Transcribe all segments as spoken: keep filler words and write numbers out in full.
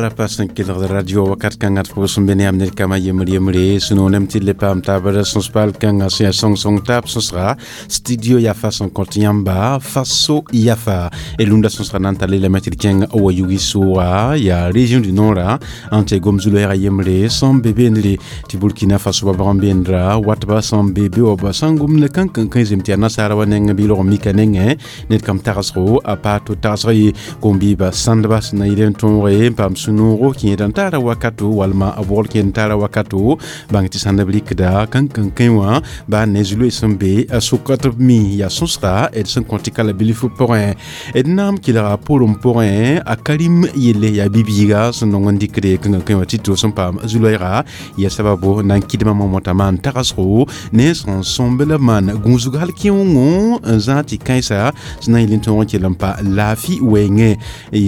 Pagrã pa sẽn kelgd radio wakat kãngã d pʋʋs n be ne yãmb ned kambã yembr yembre sũ-noonem tɩ le paam taabr sõs-paal kãngã sẽn yaa sõng-sõng taab sõsga studio yafa sẽn kõt yãmba Faso yafa d lunda sõsga na n tall lame tɩ d kẽng wa yugi sʋʋga yaa région du nord n tɩ gom zu-loɛɛga yembre sẽn be beendre tɩ Burkina Faso ba bag n beendra watba sẽn be be wa ba sãn gomd kãn-kãn-kã zem tɩ yaa nasaara wa nengẽ bɩ log mika nengẽ ned kam tagsgo a pa to tagsg ye kom-biiba sãndba sẽn na yɩl n tõoge n paam sũ-noogo kẽed n taara wakato walma a bogl kẽed n taara wakato bãng tɩ sãndb rɩkda kãn-kãn-kẽ wã baa ne zu-loe sẽn be a sʋka tɩ b mi yaa sõsga d sẽn kõ tɩ kala bilf pʋgẽ d naam kelga pʋrem pʋgẽ a Karim yelle yaa bi-biiga sẽn nong n dɩkde kãn-kãn wã tɩ to sẽn paam zu-loɛɛga yaa sababo na n kɩdmã momotã maan tagsgo ne sẽn sõmb la maan gũusg hal kẽongo n zãag tɩ kãensa sẽn na n yɩl n tõog n kell n pa laafɩ wɛɛngẽ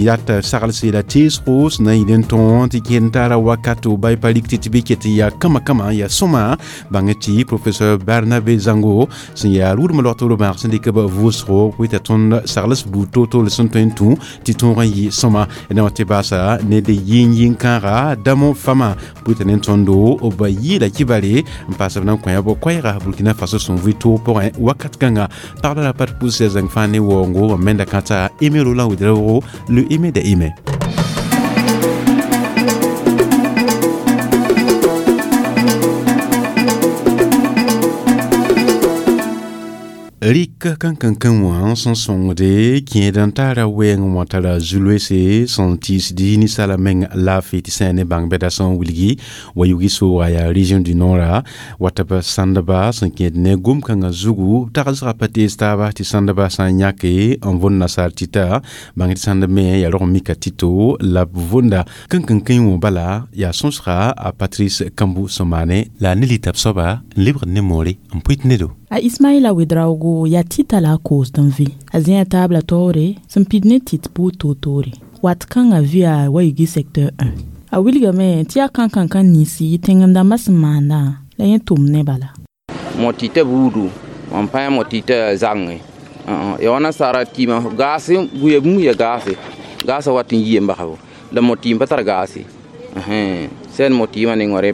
yat saglse la teesgo sẽn na n yɩl n tõog tɩ kẽed n taara wakato ba pa rik tɩ tɩ bɩ ket yaa kãma kãma yaa sõma bãng tɩ professeur Barnabe Zango sẽn yaa rʋʋdmã log tɩ bãag sẽn dɩk b vʋʋsgo pʋɩ t'a tõnd sagls buud toor-toor sẽn tõe n tũ tɩ tõog n yɩ sõma na wa tɩ baasa ned yĩng yĩng-kãaga damo fama pʋɩ t'a ne tõndo b yɩɩla kibare n paas b na n kõ b koɛɛga Burkina Faso sẽn vɩ toog pʋgẽ wakat kãnga pagda la pat pʋʋsã zãng fãa ne waoongo menda kãta Aimé Roland Ouédraogo le Aimé de Aimé. Rik kãn-kãn-kã wã sẽn sõngde kẽed n taara wɛɛng wã tara zu-loeese sẽn tiisd ninsaala meng laafɩ tɩ sã ne bãng bɛda sẽn wilgi wa yugi sooga yaa région du nord wata b sãndba sẽn kẽed ne gom-kãngã zugu tagsgã pa tees taaba tɩ sãndba sã n yãke n võnd nasaar tɩta bãng tɩ sãndb me yaa rog n mika tɩto la b võnda kãn-kãn-kẽ wã bala yaa sõsga a Patrice Kambou sẽn maane la ne lita b soaba n lebgd ne moore n pʋɩt nedo. A Ismaila Ouédraogo yaa tɩta la a koosd n vɩ a zẽa taabla taoore sẽn pid ne tɩt buud toor-toore wat kãngã vɩa wa yugi secteur un a wilgame tɩ yaa kãn-kãn-kã ninsi tẽng-dãmbã sẽn maandã la yẽ tʋm ne bala. Mo tɩta buudu mam pa mo tɩta zangẽ ya wa nasaara tɩɩmã gaase buya bũmb ya gaase gaasã wat n yie n basbo la mo tɩɩm pa tar gaase sẽn mo tɩɩmã nengã rẽ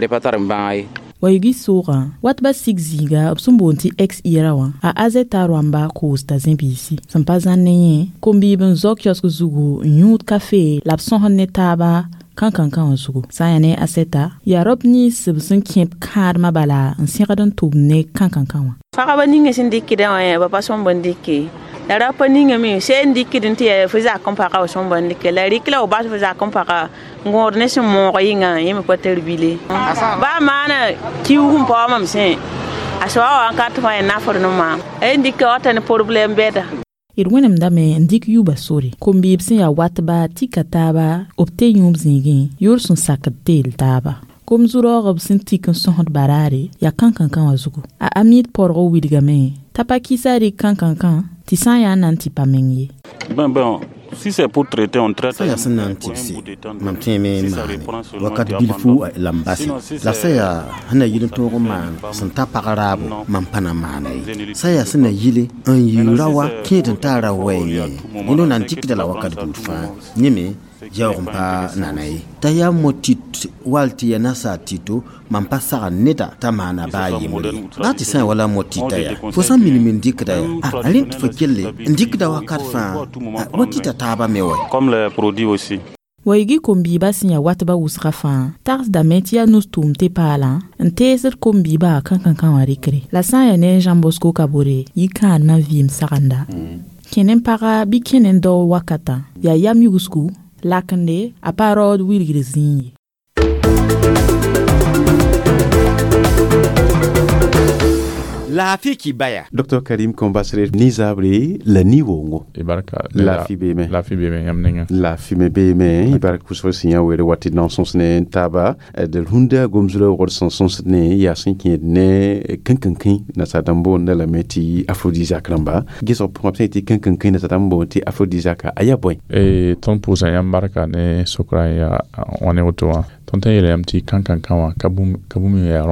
pa tar n bãag ye. Wa yugi sʋʋgã wat ba sig zĩiga b sẽn boond tɩ ex ira wã a azɛta rãmba koosda zẽ-biisi sẽn pa zãn ne yẽ kom-biib n zao kiosg zugu n yũud kafe la b sõsd ne taaba kãn-kãn-kã wã zugu sã n yaa ne asɛta yaa rab nins b sẽn kẽb kãadmã bala n sẽgd n tʋm ne kãn-kãn-kã wã. Pagba ninga sẽn dɩkdã wã ba pa sõmb n dɩke la rapa ninga me sẽn dɩkd tɩ yaa fo zak n pagã f sõmb n dɩke la rɩk la f bas fo zak n pagã n gõod ne sẽn moog yɩnga yẽ me pa tar bile baa maana kiuug n paoog mam sẽ a soaba wa n kat fãa yaa nafr ne maam n dɩka wata ne problɛm bɛda. D wẽnemdame n dɩk yuba sore kom-biib sẽn yaa watba tɩka taaba b te yũub zĩigẽ yoor sẽn sakd teel taaba kom zu-raoog b sẽn tik n sõsd baraare yaa kãn-kãn-kã wã zugu a amid porg wilgame t'a pa kɩsa rɩk kãn-kãn-kã tɩ sã n yaa n na n tɩ pa meng ye. Ben, ben, si c'est pour traiter, on traite. Sã yaa sẽn na n tɩbse mam tẽeme n maane wakat bilfu la n base la sã yaa sẽn na yɩl n tõog n maan sẽn ta pag raabo mam pa na maana ye sã yaa sẽn na yɩle n yɩ ra wa kẽed n taara wɛɛngẽ yẽnd na n dɩkda la wakat buud fãa yẽ me yaoog n pa nana ye t'a yaa mo tit wall tɩ yaa nasaar tɩto mam pa sagn neda t'a maana baa yembre ye baa tɩ sã n wala mo tɩta yaa fo sã n minim n dɩkda yaa a rẽnd tɩ fo kelle n dɩkda wakat fãa wa tɩta taabã me wa. Comme les produits aussi. Wa yugi kom-biibã sẽn yaa watbã wʋsgã fãa tagsdame tɩ yaa nus-tʋʋm tɩ paalã n teesd kom-biibã kãn-kãn-kã wã rɩkre la sã n yaa ne Jean Bosco Kabore yɩ kãadmã vɩɩm sagenda kẽne n paga bɩ kẽne n dao wakatã yaa yam yugsgu lakende a pa raood wilgr zĩig ye. Laafɩ kibaya. Docteur Karim Kombasre ni zabre la ni wongo. Ibarka. Laafɩ beeme. Laafɩ beeme yãmb ninga. Laafɩ me beeme ibarka pʋsg sẽn yã were wat tɩ nan sõs ne taaba d rũndã gomzulã wogd sẽn sõsd ne yaa sẽn kẽed ne kãn-kãn-kẽ nasaar dãmb boonda lame tɩ aphrodisiaque rãmba gesg pʋgã b sã yetɩ kãn-kãn-kẽ nasaar dãmb boond tɩ aphrodisiaque a yaa bõe. Tõnd pʋʋsã yãmb barka ne sokra n yaa wã ne woto wã tõnd tã yeela yãmb tɩ kãn-kãn-kã wã ka bũmb yaa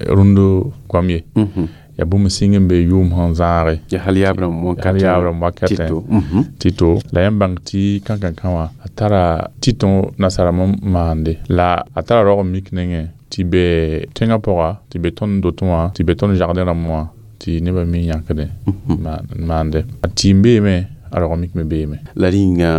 rũnd goam ye. Ya bũmb sĩng n be yʋʋm sẽn zãage ya hal yaab rãmb wakatẽ tɩto la yãmb bãng tɩ kãnkãnkã wã a tara tɩ-tõ nasarame n maande la a tara raoog n mik nengẽ tɩ be tẽngã pʋga tɩ be tõnd dotẽ wã tɩ be tõnd jardin rãmb wã tɩ nebã mi yãkdẽ n maande a tɩɩm beeme a raoog mik me beeme la rĩnga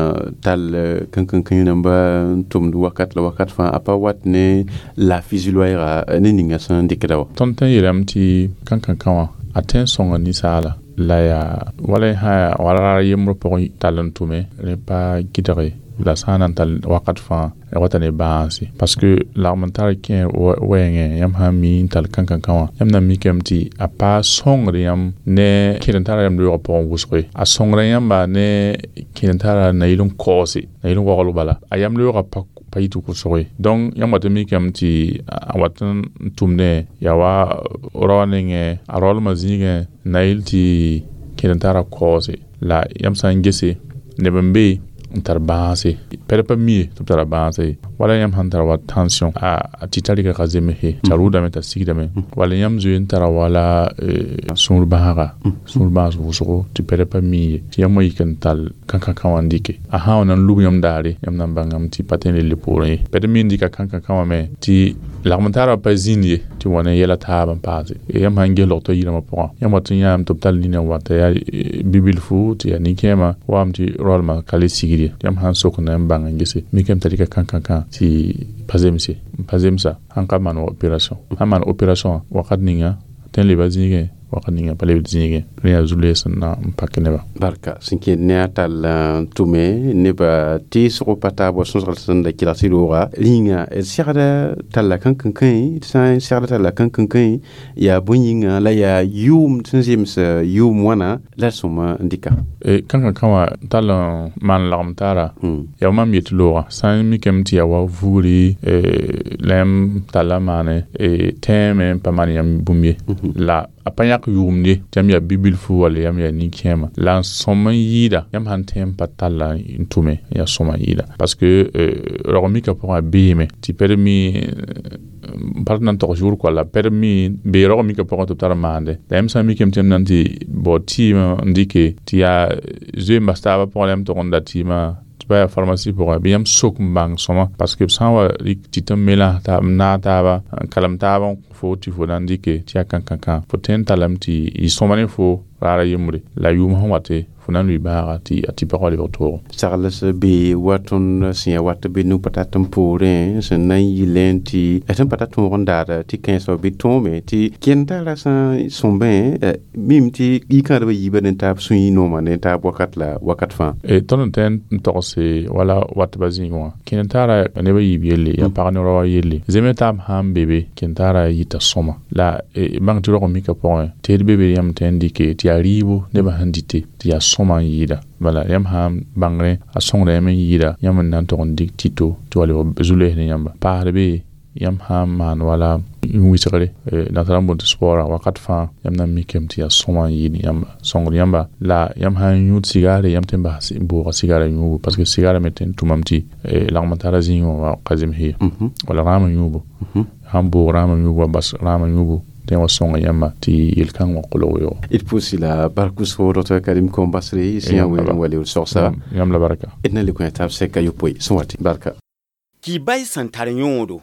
tall kãnkãnkã rãmba n tʋmd wakat la wakat fãa a pa wat ne laafɩ zu-loɛɛga ne ninga sẽn dɩkda wa tõnd tõe n yeelame tɩ kãnkãnkã wã a tõe n sõnga ninsaala la yaa wala y sã yaa wala raar yembr pʋgẽ tall n tʋme rẽ pa gɩdge la sã n na n tall wakat fãa wata ne bãase parce que lagm n tar kẽer wɛɛngẽ yãmb sã n mi n tall kãnkãnkã wã yãmb na n mikame tɩ a pa sõngd yãmb ne kẽd n tara yãmb reoogã pʋgẽ wʋsge a sõngra yãmba ne kẽd n tara na-yɩl n kaoose na-yɩl n waglg bala a yãmb reoogã pa pa yɩ tɩ kʋsge donc yãmb wat n mikame tɩ a wat n tʋmdẽ yaa wa raoã nengẽ a raoolmã zĩigẽ na-yɩl tɩ kẽd n tara kaoose la yãmb sã n gese neb n be n tar bãase pɛd pa mi tɩ b tara bãase wala yãmb sãn tara wa tension a tɩ t'a rɩka ka zemse t'a rʋʋdame t'a sigdame wala yãmb zoe n tara wala sũur bãaga sũur bãas wʋsgo tɩ pɛd pa mi ye tɩ yãmb wã yik n tall kãnkãnkã wã n dɩke a sã wa na n lub yãmb daare yãmb na n bãngame tɩ pa tõe n le poorẽ ye pɛd mi n dɩka kãnkãnkã wã me tɩ lagm n taara pa zĩnd ye tɩ wa ne yɛla taab n paase yãmb sãn ges logtã yirãmã pʋgã yãmb wat n yãame tɩ b tall nina n wa t'a yaa bibilfu tɩ yaa nin-kẽema waam tɩ roalmã ka le sigd ye yãmb sãn sok n na n bãng n gese mikame t'a rɩka kãnkãnkã tɩ pa zemse n pa zemsa sãn ka maan opération sãn maan opération wakat ninga tõe n leba zĩigẽ wakat ninga pa lebd zĩigẽ rẽ yaa zu-loees n na n pak nebã barka sẽn kẽed ne a tall n tʋme neba teesgo pa taab wa sõsgl sẽn da kelg tɩ rooga rĩnga d segda talla kãnkãnkãe d sã n segda talla kãnkãnkãe yaa bõe yĩnga la yaa yʋʋm sẽn zems yʋʋm wãna la d sõma n dɩka kãnkãnkã wã tall n maan lagem taara yaa mam yet looga sã n mikame tɩ yaa wa vugri la yãmb talla maane tẽeme n pa maan yãmb bũmb ye la a pa yãk yʋʋmde tɩ yãmb yaa bibilfu walla yãmb yaa nin-kẽema la n sõm n yɩɩda yãmb sãn tõe n pa talla n tʋme yaa sõma n yɩɩda parce que raoog mika pʋgã a beeme tɩ pɛd mi n pa na n togs yʋʋr koala pɛd mi bee raoog mika pʋgẽ tɩ b tar n maande la yãmb sã n mikame tɩ yãmb na n tɩ bao tɩɩmã n dɩke tɩ yaa zoe n bas taabã pʋgẽ la yãmb tʋg n da tɩɩmã tɩ pa yaa pharmacie pʋgẽ bɩ yãmb sok n bãng sõma parce que b sã n wa rɩk tɩ tɩ n melas n naag taaba n kalem taab n fo tɩ fo na n dɩke tɩ yaa kãnkãnkã fo tõe n tallame tɩ yɩ sõma ne fo raara yembre la yʋʋm sẽn wate fo na n lʋɩ bãaga tɩ a tɩ pagã lebg toogo sagls be wa tõnd sẽn yaa wat be nu pa tat n poorẽ sẽn na n yɩlẽ tɩ sẽn pa ta tõog n daada tɩ kãensã bɩ tõome tɩ kẽnd tara sã n sõmbẽ mim tɩ yikãadbã yiibã ne taab sũy nooma ne taab wakat la wakat fãa tõnd n tõe n togse wala watbã zĩig wã kẽnd taara nebã yiib yelle yaa pag ne raoã yelle zeme taab sã n be be kẽnd taara yita sõma la bãng tɩ rog n mika pʋgẽ tɩ d be be yãmb tõe n dɩke tɩ yaa rɩɩbo nebã sẽn dɩte tɩ yaa sõma n yɩɩda bala yãmb sã n bãngrẽ a sõngda yãmb n yɩɩda yãmb n na n tog n dɩk tɩto tɩ wa lebg zu-loees ne yãmba paasd be yãmb sã n maan wala wɩsgre nasara n boond tɩ spɔɔra wakat fãa yãmb na n mikame tɩ yaa sõma n yɩɩd yãmba sõngd yãmba la yãmb sã n yũud sigaare yãmb tõe n bas n booga sigara yũubu parce que sigara me tõe n tʋmame tɩ lagm n tara zĩigẽ wã ka zems ye wala rãam yũubu sãn boog rãam yũubu wa bas rãam yũubu tɩ wa sõnga yãmba tɩ yel-kãng wã kolg yoogo d pʋʋsi la bark wʋsgo docteur Karim Kombasre sẽn yaa weel n wa leood sogsa yãmb la barka d na le kõ taab sɛka yopoe sẽn wa tɩ barka Kibay sẽn tar yõodo.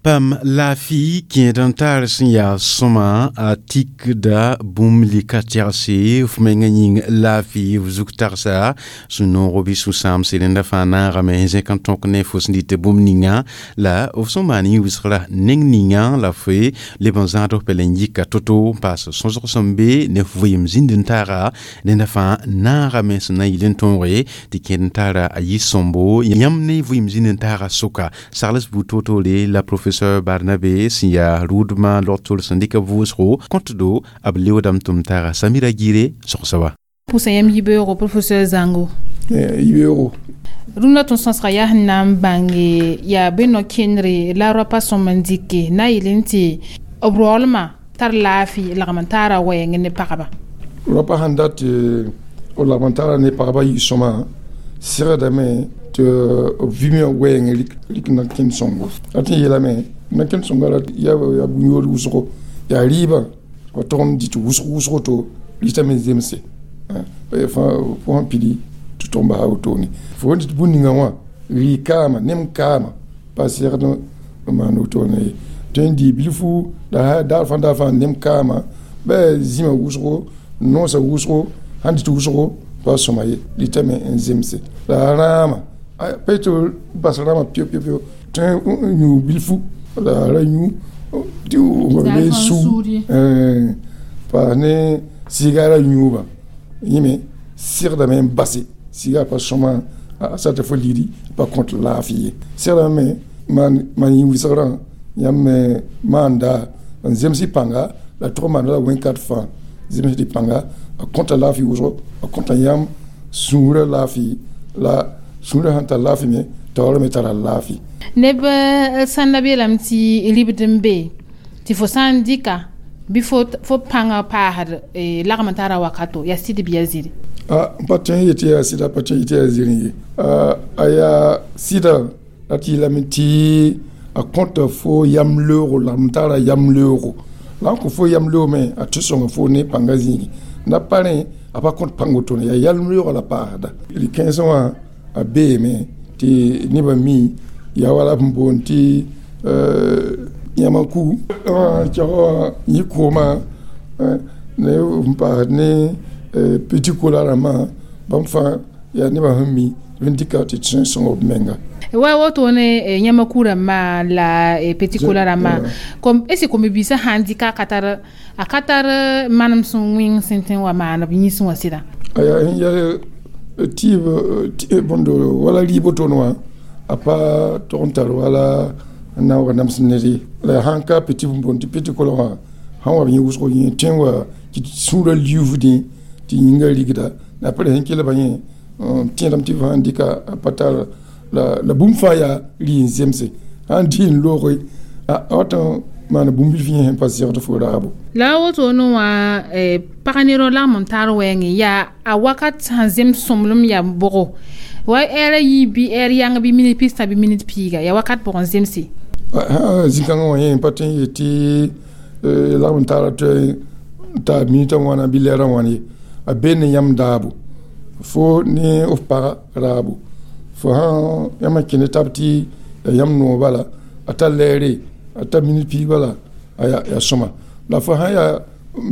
Pam laafɩ kẽed n tar sẽn yaa sõma a tikda bũmb lika tɛgse f mengã yĩng laafɩ f zug tagsa sũ noogo bɩ sũ-sãamse rẽnda fãa naagame zẽk n tõk ne fo sẽn dɩt bũmb ninga la f sẽn maan yĩn-wɩsgra neng ninga la fo leb n zãad f pɛl n yika to-to n paas sõsg sẽn be ne f vɩɩm zĩnd n taaga rẽnda fãa naagame sẽn na n yɩl n tõoge tɩ kẽed n tara a yɩ sõmbo yãmb ne vɩɩm zĩnd n taaga sʋka sagls buud toor-toore la professeur Barnabe sẽn yaa rʋʋdmã log-tol sẽn dɩk vʋʋsgo kõtdo b leoodame tʋm taaga Samira Gire sõgsa wa pʋsã yãmb yibeoogo professeur Zango yibeoogo rũndã tõnd sõsga yaa sẽn na n bãnge yaa be no-kẽndre la rapa sõm n dɩke na n yel n tɩ b roolmã tar laafɩ lagm n taara wɛɛngẽ ne pagba rapa sãn dat b lagm n taara ne pagba yɩ sõma segdame tɩ b vɩ wɛɛngẽ rɩk na-kẽnd sõngo la tɩ n yeelame na-kẽnd sõnga la yaa bũn-yood wʋsgo yaa rɩɩbã pa tog n dɩ tɩ wʋsg wʋsgo to rɩtame zemse fo sẽn pidi tɩ tog n basa wotone fo sẽn dɩt bũn ninga wã rɩ kaama nem kaama pa segd n maan wotone ye tõe n dɩ bilfu la daar fãa daar fãa nem kaama bɩ zĩma wʋsgo noosa wʋsgo sãn dɩt wʋsgo pa sõma ye rɩtame n zemse la rãama pa tɩ bas rãama pio pio pio tõe n yũ bilfu la ra yũ tɩ be su paas ne sɩɩgara yũuba yẽme segdame n base sɩɩga pa sõma a sata fo ligdi pa kõt laafɩ ye segdame maan yĩ wɩsgrã yãmb me maanda n zems y pãnga la tog n maanda la wẽn-kat fãa zems tɩ pãnga a kõta laafɩ wʋsgo a kõta yãmb sũurã laafɩ la sũurã sãn tar laafɩ me taoorã me tara laafɩ neb sãnda beelame tɩ ribd n be tɩ fo sã n dɩka bɩ fo pãngã paasd lagm n tara wakato yaa sɩd bɩ yaa zĩri n pa tõe n yetɩ yaa sɩda pa tõe n yetɩ yaa zĩri ye a yaa sɩda la tɩ yeelame tɩ a kõta fo yam leoogo lagm tara yam leoogo la n kõ fo yam leoog me a tɩ sõnga fo ne pãngã zĩigi na pa rẽ a pa kõt pãng wotone yaa yam leoogã la paasda rɩ-kãensã wã a beeme tɩ nebã mi yaa wala b boond tɩ yãmã ku kɛg wã yẽ koomã ne n paasd ne petit cola rãmbã bãmb fãa yaa nebã sẽn mi tɩ b dɩka tɩ tõe n sõng b menga wa woto ne yãmã ku rãmbã la petit cola rãmbã kom est ce kom-biisã sãn dɩka a ka tar a ka tar manem sẽn wẽng sẽn tõe n wa maan b yĩsẽ wã sɩda aya ya tɩɩb bõndo wala rɩɩb wotone wã a pa tog n tar wala n na n wa nams ned ye la sãn ka petit bõnd tɩ petit cola wã sãn wa b yẽ wʋsg yẽ tõe n wa tɩ sũurã liuufdẽ tɩ yĩngã rigda la apre sẽn kelba yẽ tẽedame tɩ sãn dɩka a pa tar la la bũmb fãa yaa rɩ n zemse sãn dɩ n looge a wat n maan bũmb bilf yẽ sẽn pa segd fo raabo la a wotone wã pag nerã lagm n tar wɛɛngẽ yaa a wakat sãn zems sõmblem yaa bʋgo wa ɛɛra yiib bɩ ɛɛr yãng bɩ minit pistã bɩ minit piiga yaa wakat pʋgẽ zemse zĩ-kãngã wã yẽ pa tõe n yet tɩ lagm n tara tɩ ta minitã wãna bɩ lɛɛrã wãn ye a be ne yãmb daabo fo ne f paga raabo fo sãn yãmb n kẽnd tab tɩ ya yãmb noog bala a ta lɛɛre a ta minit piig bala a yaa sõma la fo sãn yaa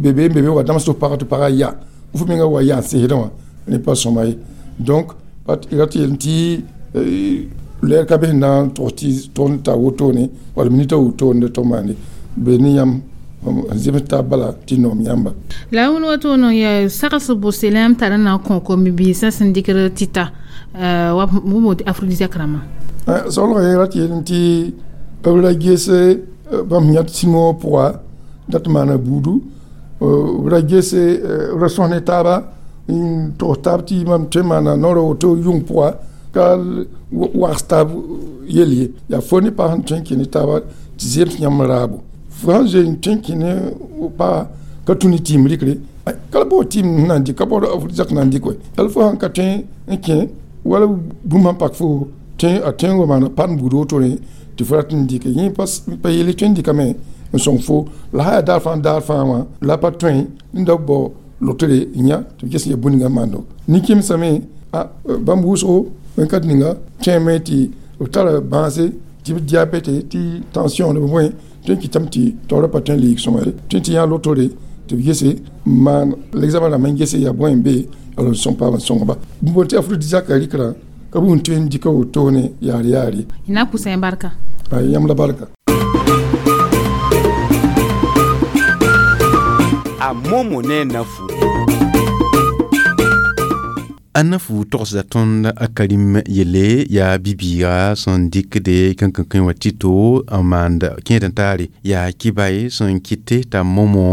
bebe n bebe wa dãms tɩ f pagã tɩ pagã ya f menga wa ya n sesdẽ wã rẽ pa sõma ye donc rat yel tɩ lɛɛr ka be sẽn na n tog tɩ tog n ta wotone wala minitã wotone tɩ maande be ne yãmb n zems taab bala tɩ noom yãmba la wẽnd woto ya sags bʋse la yãmb tar n na n kõ kom-biisã sẽn dɩkd tɩta wa b aphrodisiaque rãmbã saoolgã yẽ rat yel tɩ b ra ges bãmb yãt sĩmõ pʋga dat maana buudu b ra ges b ra sõs ne taaba n togs taab tɩ mam tõe n maana naoorã woto yʋng pʋga ka wags taab yel ye yaa fo ne pag sẽn tõe n kẽ ne taaba tɩ zems yãmb raabo fo sãn zoe n tõe n kẽ ne paga ka tũ ne tɩɩm rɩkre ka la bao tɩɩm na n dɩk ka bao aphrodisiaque na n dɩk wɛ yal fo sãn ka tõe n kẽ wala bũmb sãn pak fo a tõe n wa maana pan buud wotone tɩ fo rat n dɩke yẽ pa yelle tõe n dɩkame n sõng fo la sã yaa daar fãa daar fãa wã la pa tõe n da bao lotere n yã tɩ b ges ya bũn ninga maando nin-kẽmsame bãmb wʋsgo wẽn-kat ninga tõeme tɩ b tara bãase tɩ b diabɛte tɩ tension b bõe tõe n kɩtame tɩ taoorã pa tõe n leeg sõma ye tõe tɩ yã lotore tɩ b gese n maan l'examen rãmb n gese yaa bõe n be ala n sõng paam n sõngba b boond tɩ aphrodisiaque rɩkrã ka bũmb tõe n dɩka wotone yaar yaar ye na pʋsẽ barka yãmb la barka a momo ne nafu A nafu togsda tõnd a karim yelle yaa bi-biiga sẽn dɩkde kãnkãnkẽ wã tɩto n maand kẽed n taare yaa kɩbae sẽn kɩte t'a momo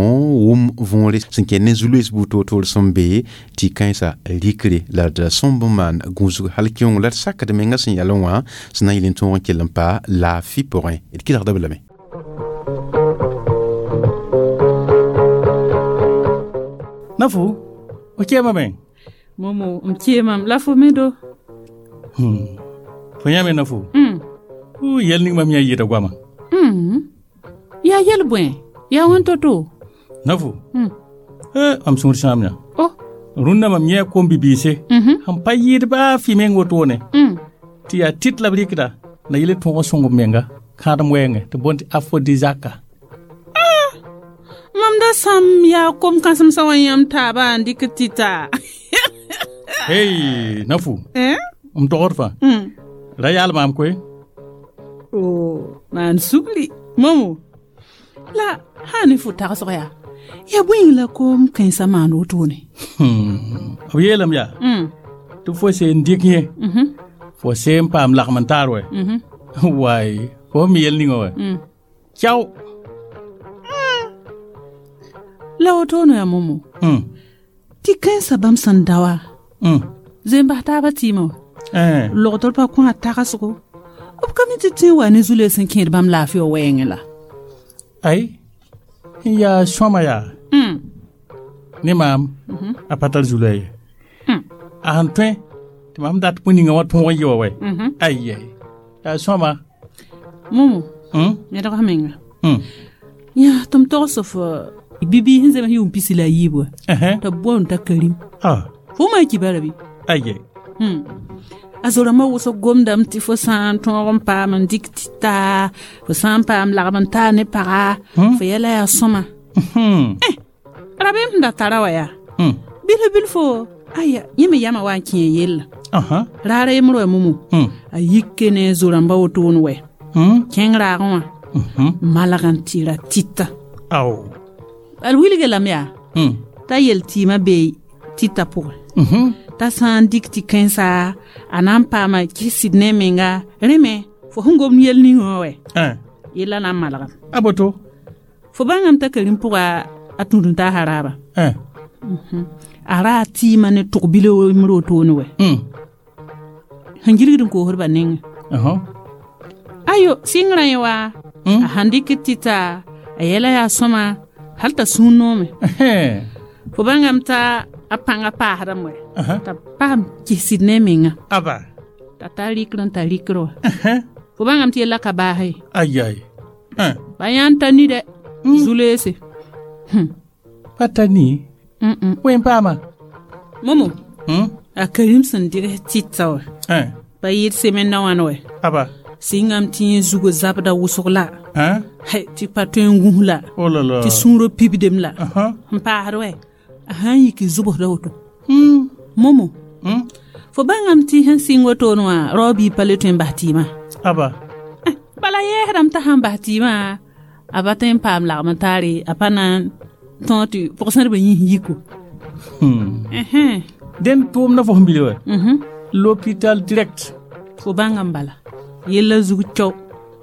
wʋm võore sẽn kẽ ne zu-loees buud toor-toor sẽn be tɩ kãensa rikre la d sõmb n maan gũusg hal kẽong la d sakd menga sẽn yalẽ wã sẽn na n yɩl n tõog n kell n pa laafɩ pʋgẽ d kɩlgda b lame Nafu, o kẽema me? Momo, m kẽemam la fo me do. Hmm. Fo yãame na fo mm. Yɛl ning mam yã yɩɩda goama mm. Yaa yɛl bõe yaa wẽn to-to na fo mm. Eh, mam sũur sãam yã oh. Rũnnã mam yẽ kom-bibiise mm -hmm. sẽn pa yɩɩd baa fɩ meng wotone mm. tɩ yaa tit la b rɩkda na yel tõog sõng b menga kãadem wɛɛngẽ tɩ boond tɩ aphrodisiaca ah! Mam da sãm yaa kom-kãsemsã wã yãmb taaba n dɩk tɩta hey na fu eh? M togd fãa mm. Ra yaal maam koe oh, maan sugli momo la sã ne fo tagsg yaa ya bõe la kom kãensã maan wotone hmm. B yeelame yaa mm. tɩ fo seen dɩk yẽ mm -hmm. Fo seen paam lagm n taar wɛ mm -hmm. Waay fo mi yel ninga wɛ mm. Cao mm. La wotone ya momo mm. Tɩ kãensã bãmb sẽn da wa mm. zoe-n-bas taabã tɩɩmã wa eh. Logdr pa kõ a tagsgo b ka mi tɩ tẽ wa ne zu-loees n kẽed bãmb laafɩ wã wɛɛngẽ la ay n yaa sõama yaa mm. Ne maam mm -hmm. A pa tar zu-loɛɛ ye mm. A sẽn tõe tɩ mam dat bõe ninga wã tõog n yɩ wa wɛ mm -hmm. Ay ay yaa sõama momo mm? yẽdg menga mm. yã tɩ m togs f bibiis sẽn zems yʋʋm pisi la a yiib wa uh -huh. tɩ b boond t'a karim ah. Fo ma kibara bɩ ay ay hmm. A zorãmbã wʋsg gomdame tɩ fo sã n tõog n paam n dɩk tɩta fo sã n paam lagm n taar ne paga Hmm? fo yɛla yaa sõma Hmm. eh, rabeem sẽn da tara wa yaa Hmm. bilf bilfo aya yẽ me yama wa n kẽ yella Uh -huh. raara yembr wa momo Hmm. a yike ne zorãmbã wotone wɛ Hmm. kẽng raagẽ wã Mm -hmm. malg n tɩ ra tɩta Ao. Al wilge lame yaa Hmm. t'a yel tɩɩmã bee tɩta pʋgẽ Mm -hmm. t'a sã n dɩk tɩ kãensa a na n paama kɩsd ne menga rẽ me fo sẽn gomd yel ning wã wɛ Eh. yella na n malgame A boto. fo bãngame t'a karim pʋga a tũud-n-taasã raaba Eh. a raa tɩɩmã ne tʋg-bil yembr wotone wɛ Mm. sẽn gilgd n koosdba nengẽ Uh -huh. ayo sɩngrã yẽ wa Mm. a sãn dɩk tɩta a yɛla yaa sõma hal t'a sũur noome Eh. fo bãngame t'a a pãngã paasdame wɛ Uh -huh. t'a paam kɩsd ne menga Aba. t'a tar rɩkr n tar rɩkr wa Uh -huh. fo bãngame tɩ yella ka baasa ye Ay ay. Eh. pa yãnd t'a ni dɛ zu-loeese Pa ta ni. Mm-mm. Wen paama. momo Hmm? a karim sẽn dɩgs tɩta wa Eh. pa yɩɩd semenda wãn wɛ Aba. sɩngame tɩ yẽ zugo zabda wʋsg la Eh? Hai, tɩ pa tõe n gũs la Oh là là. tɩ sũurã pibdem la Uh -huh. n paasd wɛ a sã n yik zʋbsda woto Mm. momo Mm. fo bãngame tɩ sẽn sɩng wotone wã rao bii pa le tõe n bas tɩɩmã Aba. Eh, bala yɛɛsdame t'a sãn bas tɩɩmã a pa tõe n paam lagm n taare a pa na n tõog tɩ pʋgsẽdbã yĩs yiko Hmm. Ɛhɛn. Den tʋʋm na fo sẽn bili wa. Mhm. L'hôpital direct. fo bãngame bala yella zug cao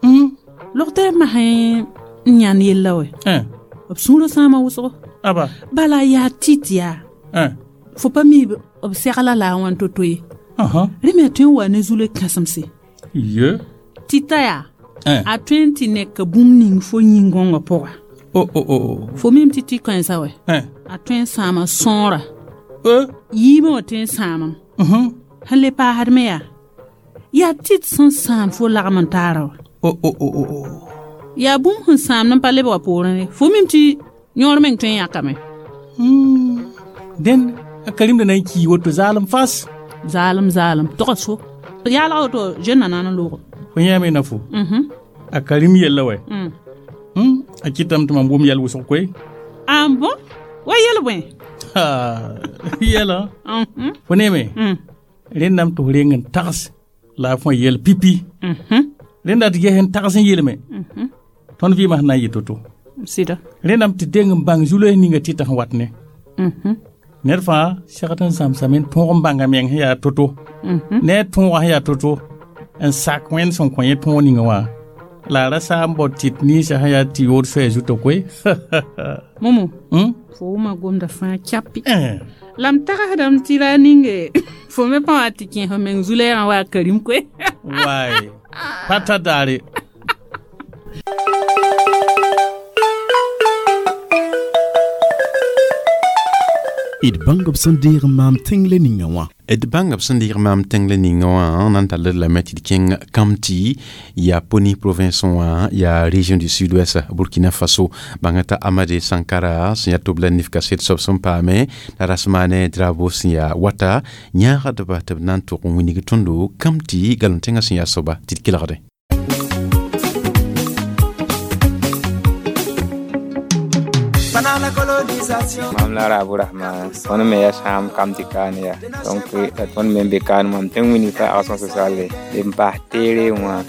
Mm. logtɛɛb masẽ n yãnd yella wɛ Eh. b sũurã sãama wʋsgo Aba. bala yaa tɩt yaa Eh. fo pa mi b segla la a wãn to-to ye Uh -huh. rẽ me a tõe n wa ne zu-loe kãsemse Ye. tɩta yaa Eh. a tõe n tɩ neka bũmb ning fo yĩn-gõngã pʋga Oh oh oh. fo mim tɩ tɩ kãensã wɛ Eh. a tõe n sãama sõora Eh. yiimã wã tõe n sãamam Uh -huh. sẽn le paasd me yaa yaa tɩt sẽn sãam fo lagm n taara wa Oh oh oh oh. oh. yaa bũmb sẽn sãamd n pa leb wa poorẽ ye fo mim tɩ yõor meng tõe n yãkame Hmm. Den a karim da na n kii woto zaalem fas. zaalem zaalem togs fo yaalg woto zẽnna na n loogo Fo yãame na fo. Mhm. A karim yella wɛ. Mm. Hmm. A kɩtame tɩ mam wʋm yɛl wʋsg koe. Ah bon wa yel bõe Ha. Yɛla. Mhm. Fo neeme. Mm. Rẽndame tɩ f reng n tags la a fõ yɛl pipi. Mhm. Rẽnda tɩ ges n tags n yeelme. Mhm. Tõnd vɩɩmã sẽn na n yɩ to-to. Sɩda Rẽndame tɩ deng n bãng zu-loees ninga tɩta sẽn wat ne. Mhm. Ned fãa segd n zãmsame n tõog n bãnga meng sẽn yaa to-to. Mhm. Ne a tõogã sẽn yaa to-to n sak wẽnd sẽn kõ yẽ tõog ninga wã la a ra saa n bao tɩt ninsã sẽn yaa tɩ yood soɛɛ zutã koe. Momo Hmm? fo wʋma gomda fãa kyapi Eh. la m tagsdame tɩ ra ninge fo me pa wa tɩ kẽ fo meng zu-lɛɛgã wa a karim koe Waay. Pa ta daare. D bãng b sẽn deeg n maam tẽng le ninga wã. D bãnga b sẽn dɩg maam tẽng la ninga wã na n tall d lame tɩ d kẽng Kamti yaa Poni province wã yaa région du sud-ouest Burkina Faso bãnga t'a Amade Sankara sẽn yaa tʋb la nif kaset soab sẽn paame la Rasmane Drabo sẽn yaa wata yãagdba tɩ b na n tʋg n wilg tõndo Kamti galem tẽngã sẽn yaa soaba tɩ d kelgde. Mam la Rabu Rahman tõnd me yaa sãam kam tɩ kaan ya donc la tõnd me n be kaan mam tɩ n wilg fa action sociale d n bas teere wã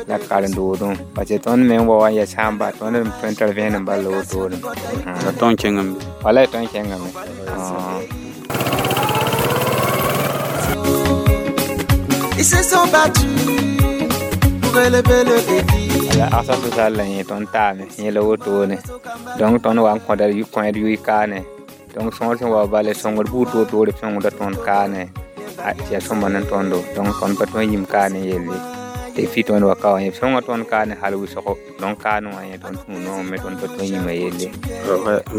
la karen-doodẽ parce que tõnd me n wa wa n yaa sãam bas tõnd n tõe n tar vẽenem bal la wotone la tõnd kẽngame wala tõnd kẽngame. Ils se sont battus pour relever le défi. La action sociale la yẽ tõnd taame yẽ la wotone donc tõnd wa n kõda kõed yʋɩ kaane donc sõor sẽn wa bala sõngr buud toor-toore sõngda tõnd kaane tɩ yaa sõma ne tõndo donc tõnd pa tõe n yĩm kaane yelle tɩ fi tõnd wa ka wã yẽ sõnga tõnd kaane hal wʋsgo donc kaan wã yẽ tõnd tũu noog me tõnd pa tõe n yĩma yelle.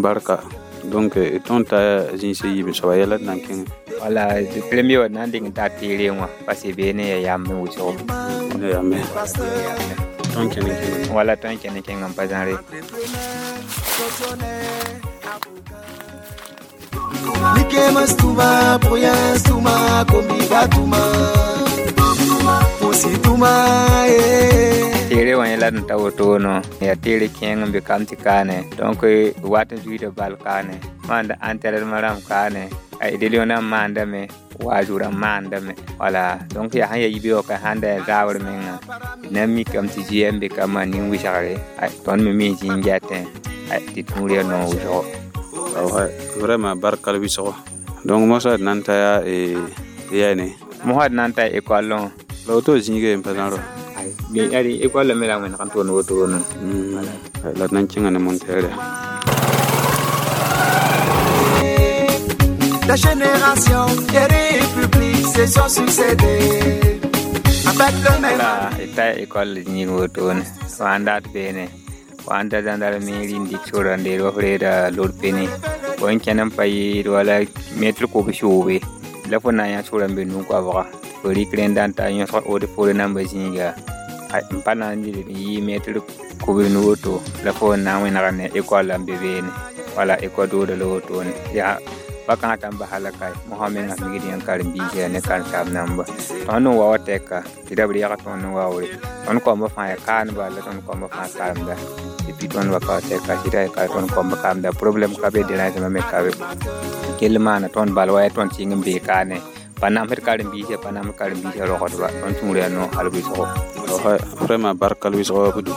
Barka donc tõnd ta zĩis yiib soaba yɛla d na n kẽngẽ wala premier wa na n dɩk n taa teere wã parce que beene yaa yamb n wʋsgo yambe tõnd kẽne kẽngame wala tõnd kẽne kẽngã n pa zãre. Teere wã yẽ la d n ta wotono yaa teere kẽeng n be kam tɩ kaane donc wat n zuiida bal kaane maanda entraînement rãmb kaane religion rãmb maandame waazug rãmb maandame wala donc yaa sãn yaa yibe wã ka sãn da yaa zaabr menga d na n mikame tɩ zɩ n be ka maan nin-wɩsgre tõnd me mi n zĩ n gɛtẽ tɩ tũud yaa noog wʋsgo. Vraiment barka l wɩsgo donc mosã d na n ta yaa yɛne mosã d na n ta école wã la woto zĩiga n pa zãro école me la wẽneg n toond wotone la d na n kẽnga ne montere. La génération des républiques se sont succédées avec le même. La ta école zĩig wotone wã n dat beene wã n da gendarmerie n dɩk sora n deed wa f reeda lor pene fo n kẽn n pa yɩɩd wala mɛtr kob-soobe la fo na n yã sora n be nu-koabga fo rɩk rẽnda n ta yõsg od fore namba zĩiga n pa na n yɩ mɛtr kobs nu woto la fo n na n wẽnega ne école n be beene wala école dooda la wotone yaa pa kãngã tã n basa la kae mosã menga migd yã karen-biisã ne karen-saam namba tõnd n wa wa tɛka tɩ ra b reega tõnd n waoore tõnd kaoamba fãa yaa kaanba la tõnd kaoamba fãa karemda et puis tõnd wa ka wa tɛka sɩda yaa ka tõnd kaoamba karemda problème ka be dérangement me ka be kell maana tõnd bal wa yaa tõnd sɩng n bee kaane pa namsd karen-biisã pa namsd karen-biisã rogdba tõnd sũur yaa noog hal wɩsgo. Vraiment barka l wɩsgo wa budu.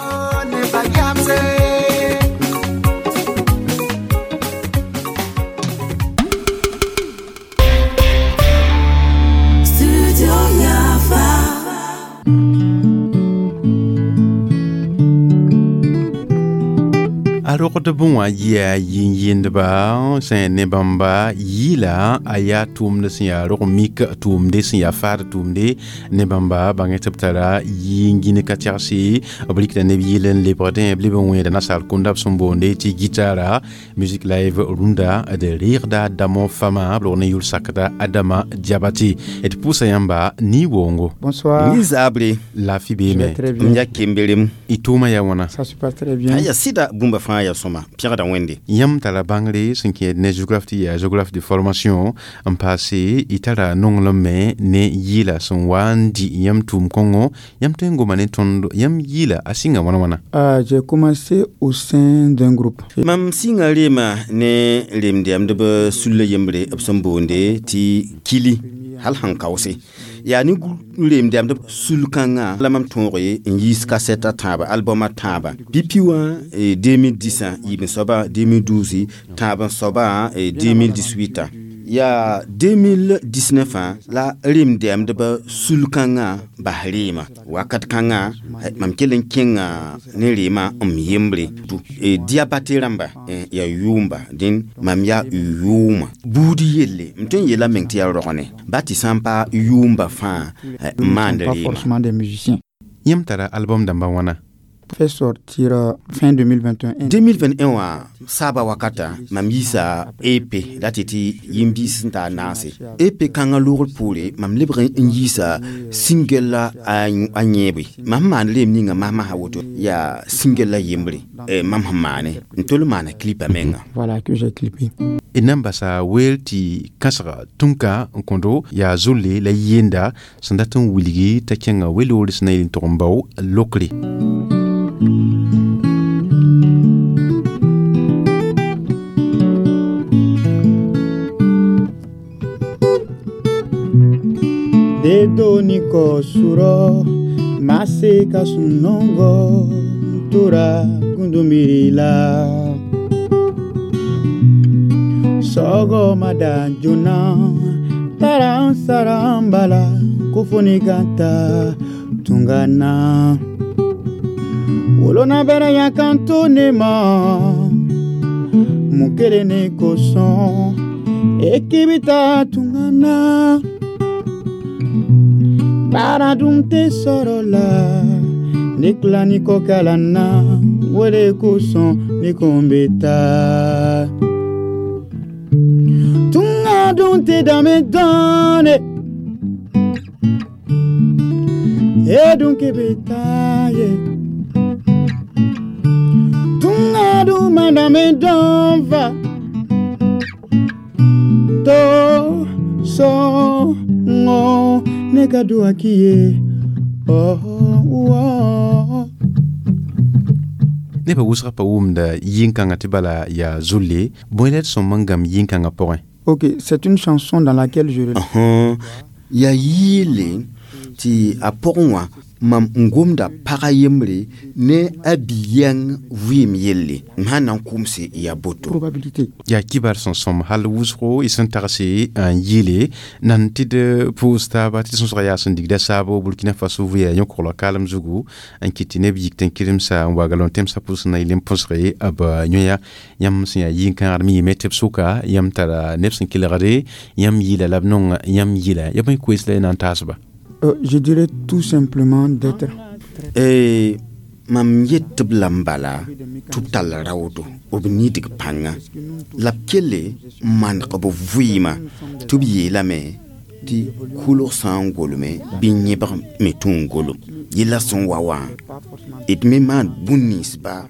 A rogd bẽ wã yɩa yĩn-yĩndba sẽn ne bãmba yɩɩla a yaa tʋʋmd sẽn yaa rog-mik tʋʋmde sẽn yaa faad tʋʋmde ne bãmba bãng tɩ b tara yɩ-n-gĩn ka tɛgse b rɩkda neb yɩɩl n lebgdẽ b leb n wẽeda nasaar kũnda b sẽn boonde tɩ gitara musique live rũndã d reegda damo fama b log ne yʋl sakda Adama Diabate d pʋʋsa yãmba ni-woongo. Bonsoir. Ni zabre. Lafi beeme. M ya kemberem. Y tʋʋma yaa wãna? Ça se passe très bien. A yaa sɩda bũmba fãa yaa sõma pẽgda Wẽnde. Yãmb tara bãngre sẽn kẽed ne géographe tɩ yaa géographe de formation n paase y tara nonglem me ne yɩɩla sẽn wa n dɩ yãmb tʋʋm kõngo yãmb tõe n goma ne tõnd yãmb yɩɩla a sɩnga wãna wãna? Ah, j'ai commencé au sein d'un groupe. Mam sɩnga reema ne remdɛmdb sulla yembre b sẽn boonde tɩ kili hal sẽn kaoose yaa ne remdɛmdb sul-kãngã la mam tõoge n yiis kasɛt a tãaba album a tãaba pipi wã deux mille dix yiib n soaba deux mille douze tãab n soaba deux mille dix-huit yaa deux mille dix-neuf la remdɛmdb sul-kãngã bas reema wakat kãngã mam kell n kẽnga ne reema m yembre Diabate rãmba yaa yʋʋmba dẽn mam yaa yʋʋma buud yelle m tõe n yeela meng tɩ yaa rogene ba tɩ sã n pa yʋʋmba fãa n maand Pas reema. forcément des musiciens. Yãmb tara album dãmba wãna? fait sortir euh, fin deux mille vingt et un. deux mille vingt et un wã saaba wakata mam yiisa E P la tɩ tɩ yĩm-biis sẽn taa naase E P kãngã loogr poore mam lebg n yiisa single la a a yẽebe mam sẽn maan reem ninga masmasã woto yaa single la yembre. Eh, mam sẽn maane n tol n maana clipa menga. Voilà, que j'ai clippé. D na n basa weel tɩ kãsga tũnka n kõdo yaa zolle la yenda sẽn dat n wilgi t'a kẽnga weloore sẽn na yel n tʋg n bao lokre. Dedo ni kɔ surɔ ma se ka sunɔgɔ tora gundumiri la sɔgɔmada joona taara n sara n bala ko fo ni ka taa tunga na wolona bɛrɛ yan kan to ne ma mun kelen ne kosɔn e k'i bɛ taa tunga na baara dun tɛ sɔrɔ la ne tila ni kɔ kalan na o de kosɔn ne ko n bɛ taa tunga dun tɛ danbe dɔn dɛ e dun k'i bɛ taa ye tunga dun ma danbe dɔn fa to sɔngɔ ne ka duwa k'i ye oh, oh. Nebã wʋsga pa wʋmda yĩn-kãngã tɩ bala yaa zolle bõe la d sõm n gãmb yĩn-kãngã pʋgẽ? Ok, c'est une chanson dans laquelle je Õsẽ yaa yɩɩle tɩ a pʋgẽ wã mam n gomda pagã yembre ne a bi-yɛng vɩɩm yelle m sãn na n kʋmse yaa boto. Probabilité. Yaa kibar sẽn sõm hal wʋsgo y sẽn tagse n yɩɩle nan tɩ d pʋʋs taaba tɩ sõsga yaa sẽn digda saabo Burkina Faso vɩya yõ-kogla kaalem zugu n kɩt tɩ neb yik tɩ n kɩremsa n wa galon tẽmsã pʋsẽ na yel n põsge b yõya yãmb sẽn yaa yĩn-kãagd me yɩme tɩ b sʋka yãmb tara neb sẽn kelgde yãmb yɩɩla la b nong yãmb yɩla ya bõe koees la y na n taasba? Euh, je dirais tout simplement d'être. Eh, mam yet tɩ b lame bala tɩ b tall raoodo b nidg pãnga la b kelle n maneg b vɩɩmã tɩ b yeelame tɩ kʋlg sã n golme bɩ yẽbg me tũ n golem yella sẽn wa wã d me maan bũn-ninsba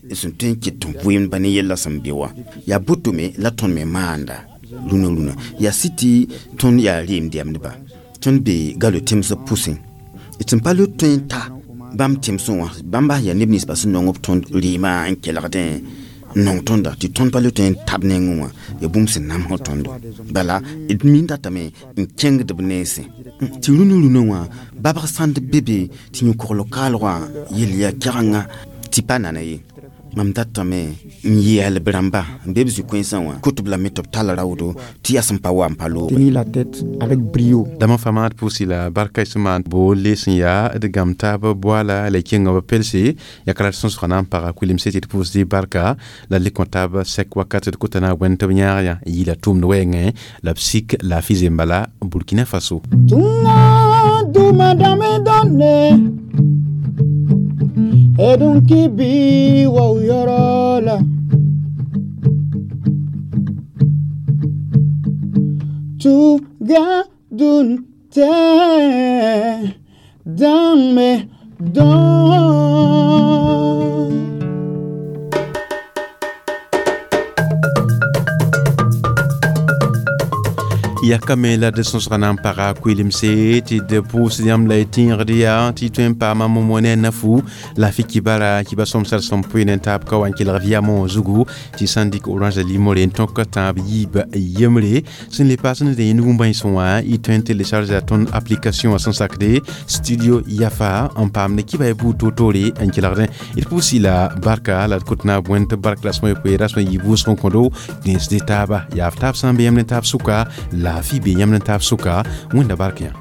sẽn tõe n ket n vɩɩmdba ne yella sẽn be wã yaa boto me la tõnd me maanda rũnã rũnã yaa sɩ tɩ tõnd yaa reem dɛmdba tõnd be galo tẽmsb pʋsẽ d sẽn pa le tõe n ta bãmb tẽmsẽ wã bãmb bas yaa neb ninsba sẽn nong b tõnd rɩɩmã n kelgdẽ n nong tõnda tɩ tõnd pa le tõe n tab nengẽ wã yaa bũmb sẽn namsg tõndo bala d mi datame n kẽngd b nensẽ tɩ rũnã rũnã wã babg sãnd be be tɩ yõ-kogl kaalgã yel yaa kɛgenga tɩ pa nana ye mam datame n yeel b rãmba n be b zĩ-kõensã wã kot b lame tɩ b tall raoodo tɩ yaa sẽn pa wa n pa looge. Tenir la tête avec brio. Dãmb fãa d pʋʋsi la barka y sẽn maan boole sẽn yaa d gãmb taab boala la y kẽnga b pelse ya ka la d sõsga na n paga kuilemse tɩ d pʋʋsd barka la d le kõ taab sɛk wakat d kota na wẽnd tɩ b yãag yã n yɩɩla tʋʋmd wɛɛngẽ la b sik laafɩ zembala Burkina Faso. Tunga duma dame donne edun kibi wa yɔrɔ la tuga dun tɛ danbe dɔn. Yakame la d sõsga na n paga koelemse tɩ d pʋʋsd yãmb la y tẽegd yaa tɩ tõe n paama momo ne a nafu la fɩ kibara kiba sõmsd sẽn pʋɩ ne taab ka wa n kelg vɩyamõ zugu tɩ sã n dɩk Orange limore n tõk tãab yiib yembre sẽn le paas ne yẽnd wũm-bãensẽ wã y tõe n télécharge a tõnd application sẽn sakde Studio Yafa n paam ne kiba y buud toor-toore n kelgdẽ d pʋʋsi la barka la d kot na bõe tɩ bark la sõm yopoe rasmã yɩ vʋʋsg n kõdo dẽnsde taaba yaa f taab sã n be yãmb ne taab sʋka laafɩ be yãmb ne taab sʋka wẽnda bark yã.